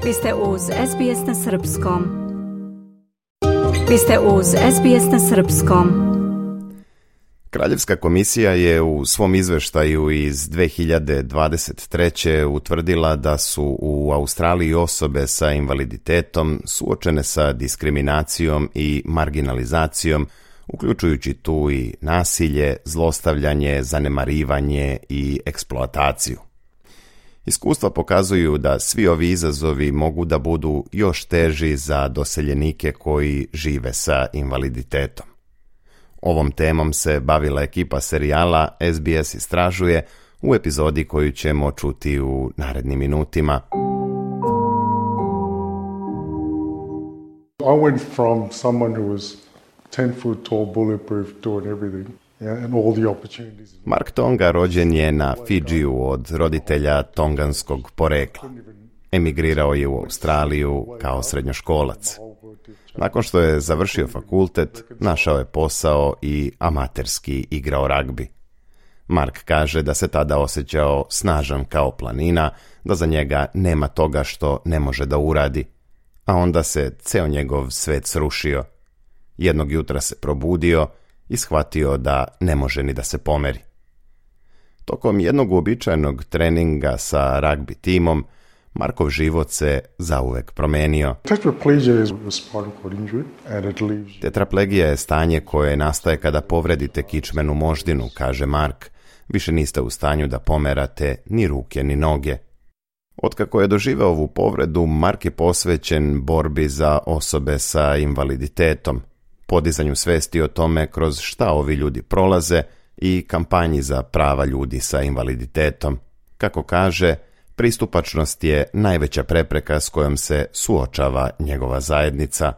Vi ste uz SBS na Srpskom. Vi ste uz SBS na Srpskom. Kraljevska komisija je u svom izveštaju iz 2023. utvrdila da su u Australiji osobe sa invaliditetom suočene sa diskriminacijom i marginalizacijom, uključujući tu i nasilje, zlostavljanje, zanemarivanje i eksploataciju. Iskustva pokazuju da svi ovi izazovi mogu da budu još teži za doseljenike koji žive sa invaliditetom. Ovom temom se bavila ekipa serijala SBS istražuje u epizodi koju ćemo čuti u narednim minutima. I went from someone who was 10 foot tall, bulletproof, doing everything. And all the opportunities. Mark Tonga rođen je na Fidžiju od roditelja tonganskog porekla. Emigrirao je u Australiju kao srednjoškolac. Nakon što je završio fakultet, našao je posao i amaterski igrao ragbi. Mark kaže da se tada osjećao snažan kao planina, da za njega nema toga što ne može da uradi. A onda se ceo njegov svet srušio. Jednog jutra se probudio i shvatio da ne može ni da se pomeri. Tokom jednog uobičajenog treninga sa ragbi timom, Markov život se zauvek promenio. Tetraplegija je stanje koje nastaje kada povredite kičmenu moždinu, kaže Mark. Više niste u stanju da pomerate ni ruke ni noge. Otkako je doživeo ovu povredu, Mark je posvećen borbi za osobe sa invaliditetom, podizanju svesti o tome kroz šta ovi ljudi prolaze i kampanji za prava ljudi sa invaliditetom. Kako kaže, pristupačnost je najveća prepreka s kojom se suočava njegova zajednica.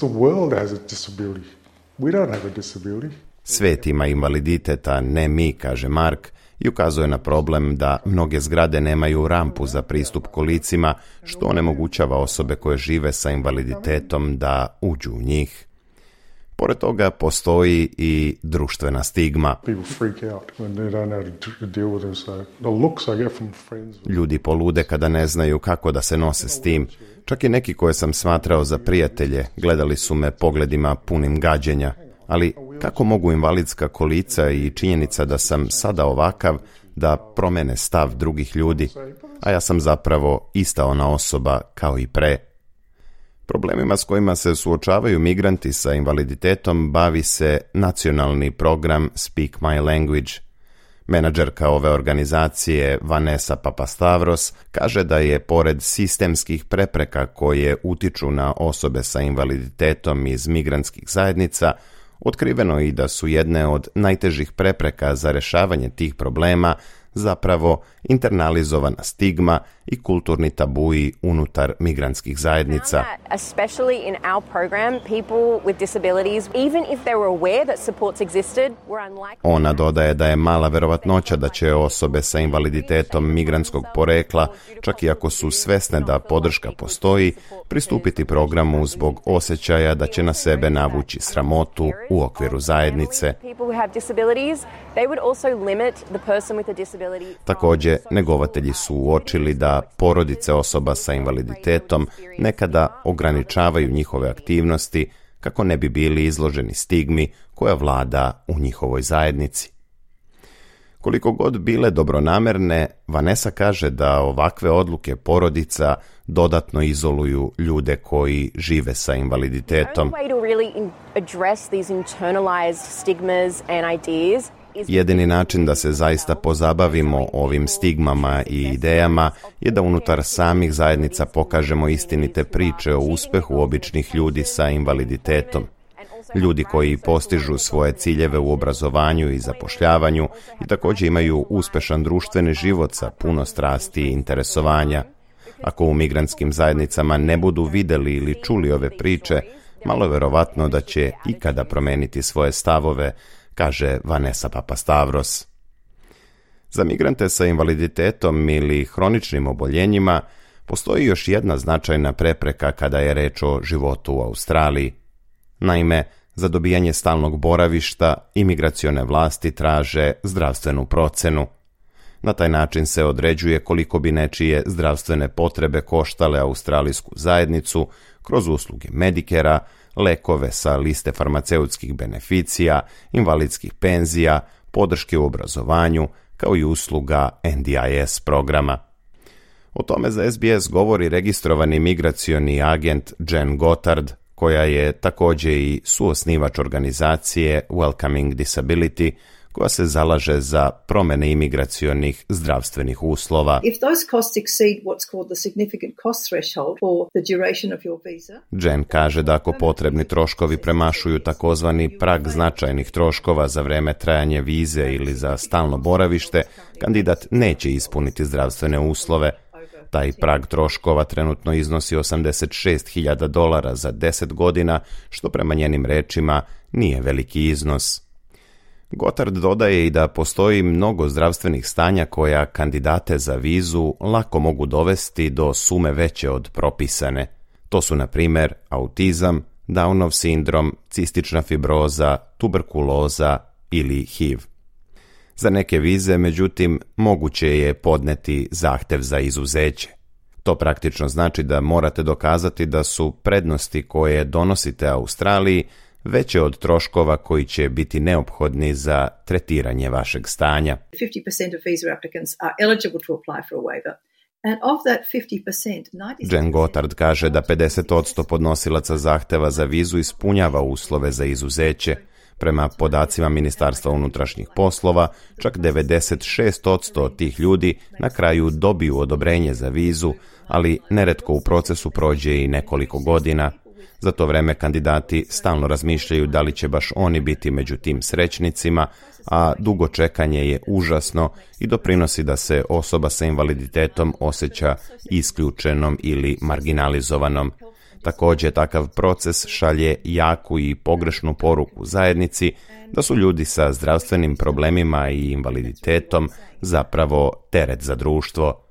Svet ima invaliditet, a ne mi, kaže Mark, i ukazuje na problem da mnoge zgrade nemaju rampu za pristup kolicima, što onemogućava osobe koje žive sa invaliditetom da uđu u njih. Pored toga postoji i društvena stigma. Ljudi polude kada ne znaju kako da se nose s tim. Čak i neki koje sam smatrao za prijatelje gledali su me pogledima punim gađenja. Ali kako mogu invalidska kolica i činjenica da sam sada ovakav da promene stav drugih ljudi, a ja sam zapravo ista ona osoba kao i pre. Problemima s kojima se suočavaju migranti sa invaliditetom bavi se nacionalni program Speak My Language. Menadžerka ove organizacije Vanessa Papastavros kaže da je pored sistemskih prepreka koje utiču na osobe sa invaliditetom iz migrantskih zajednica, otkriveno i da su jedne od najtežih prepreka za rešavanje tih problema zapravo internalizovana stigma i kulturni tabuji unutar migrantskih zajednica. Ona dodaje da je mala verovatnoća da će osobe sa invaliditetom migrantskog porekla, čak i ako su svesne da podrška postoji, pristupiti programu zbog osjećaja da će na sebe navući sramotu u okviru zajednice. Također, negovatelji su uočili da porodice osoba sa invaliditetom nekada ograničavaju njihove aktivnosti kako ne bi bili izloženi stigmi koja vlada u njihovoj zajednici. Koliko god bile dobronamerne, Vanessa kaže da ovakve odluke porodica dodatno izoluju ljude koji žive sa invaliditetom. Jedini način da se zaista pozabavimo ovim stigmama i idejama je da unutar samih zajednica pokažemo istinite priče o uspehu običnih ljudi sa invaliditetom. Ljudi koji postižu svoje ciljeve u obrazovanju i zapošljavanju i također imaju uspešan društveni život sa puno strasti i interesovanja. Ako u migrantskim zajednicama ne budu videli ili čuli ove priče, malo je verovatno da će ikada promeniti svoje stavove, kaže Vanessa Papastavros. Za migrante sa invaliditetom ili hroničnim oboljenjima postoji još jedna značajna prepreka kada je reč o životu u Australiji. Naime, za dobijanje stalnog boravišta imigracione vlasti traže zdravstvenu procenu. Na taj način se određuje koliko bi nečije zdravstvene potrebe koštale australijsku zajednicu kroz usluge Medicare-a, lekove sa liste farmaceutskih beneficija, invalidskih penzija, podrške u obrazovanju, kao i usluga NDIS programa. O tome za SBS govori registrovani migracioni agent Jen Gotthard, koja je također i suosnivač organizacije Welcoming Disability, koja se zalaže za promjene imigracionih zdravstvenih uslova. Jen kaže da ako potrebni troškovi premašuju takozvani prag značajnih troškova za vreme trajanja vize ili za stalno boravište, kandidat neće ispuniti zdravstvene uslove. Taj prag troškova trenutno iznosi $86,000 za 10 godina, što prema njenim rečima nije veliki iznos. Gotthard dodaje i da postoji mnogo zdravstvenih stanja koja kandidate za vizu lako mogu dovesti do sume veće od propisane. To su, na primjer, autizam, Downov sindrom, cistična fibroza, tuberkuloza ili HIV. Za neke vize, međutim, moguće je podneti zahtjev za izuzeće. To praktično znači da morate dokazati da su prednosti koje donosite Australiji veće od troškova koji će biti neophodni za tretiranje vašeg stanja. 50% of visa applicants are eligible to apply for a waiver. And of that 50%, Jen Gotthard kaže da 50% podnosilaca zahteva za vizu ispunjava uslove za izuzeće. Prema podacima Ministarstva unutrašnjih poslova, čak 96% od tih ljudi na kraju dobiju odobrenje za vizu, ali neretko u procesu prođe i nekoliko godina. Za to vreme kandidati stalno razmišljaju da li će baš oni biti među tim srećnicima, a dugo čekanje je užasno i doprinosi da se osoba sa invaliditetom osjeća isključenom ili marginalizovanom. Također, takav proces šalje jaku i pogrešnu poruku zajednici da su ljudi sa zdravstvenim problemima i invaliditetom zapravo teret za društvo.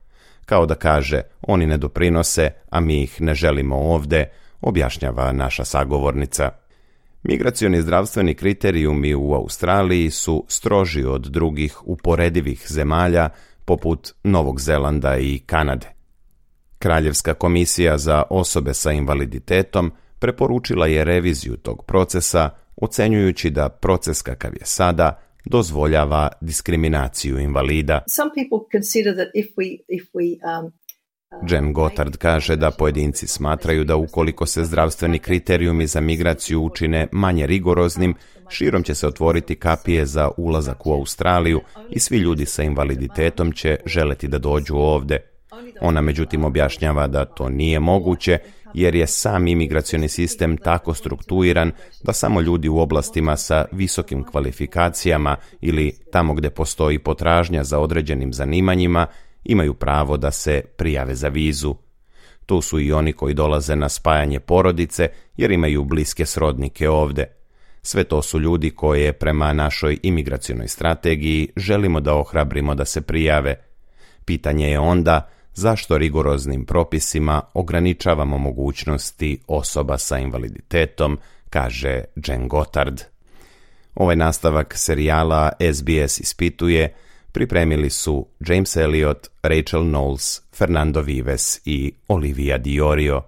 Kao da kaže, oni ne doprinose, a mi ih ne želimo ovdje, objašnjava naša sagovornica. Migracioni zdravstveni kriterijumi u Australiji su stroži od drugih uporedivih zemalja poput Novog Zelanda i Kanade. Kraljevska komisija za osobe sa invaliditetom preporučila je reviziju tog procesa, ocenjujući da proces kakav je sada dozvoljava diskriminaciju invalida. Jen Gotthard kaže da pojedinci smatraju da ukoliko se zdravstveni kriterijumi za migraciju učine manje rigoroznim, širom će se otvoriti kapije za ulazak u Australiju i svi ljudi sa invaliditetom će želeti da dođu ovdje. Ona međutim objašnjava da to nije moguće jer je sam imigracioni sistem tako strukturiran da samo ljudi u oblastima sa visokim kvalifikacijama ili tamo gdje postoji potražnja za određenim zanimanjima imaju pravo da se prijave za vizu. Tu su i oni koji dolaze na spajanje porodice jer imaju bliske srodnike ovdje. Sve to su ljudi koje prema našoj imigracionoj strategiji želimo da ohrabrimo da se prijave. Pitanje je onda zašto rigoroznim propisima ograničavamo mogućnosti osoba sa invaliditetom, kaže Jen Gotthard. Ovaj nastavak serijala SBS ispituje pripremili su James Elliot, Rachel Knowles, Fernando Vives i Olivia Diorio.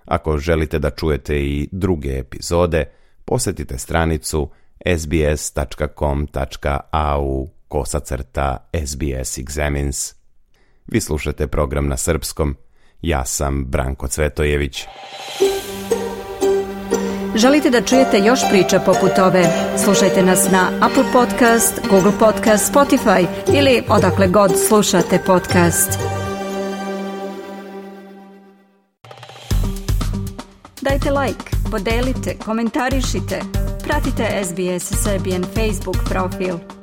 Ako želite da čujete i druge epizode, posjetite stranicu sbs.com.au/SBS Examines. Vi slušate program na srpskom. Ja sam Branko Cvetojević. Želite da čujete još priča poput ove? Slušajte nas na Apple Podcast, Google Podcast, Spotify ili odakle god slušate podcast. Dajte like, podelite, komentarišite. Pratite SBS Serbian Facebook profil.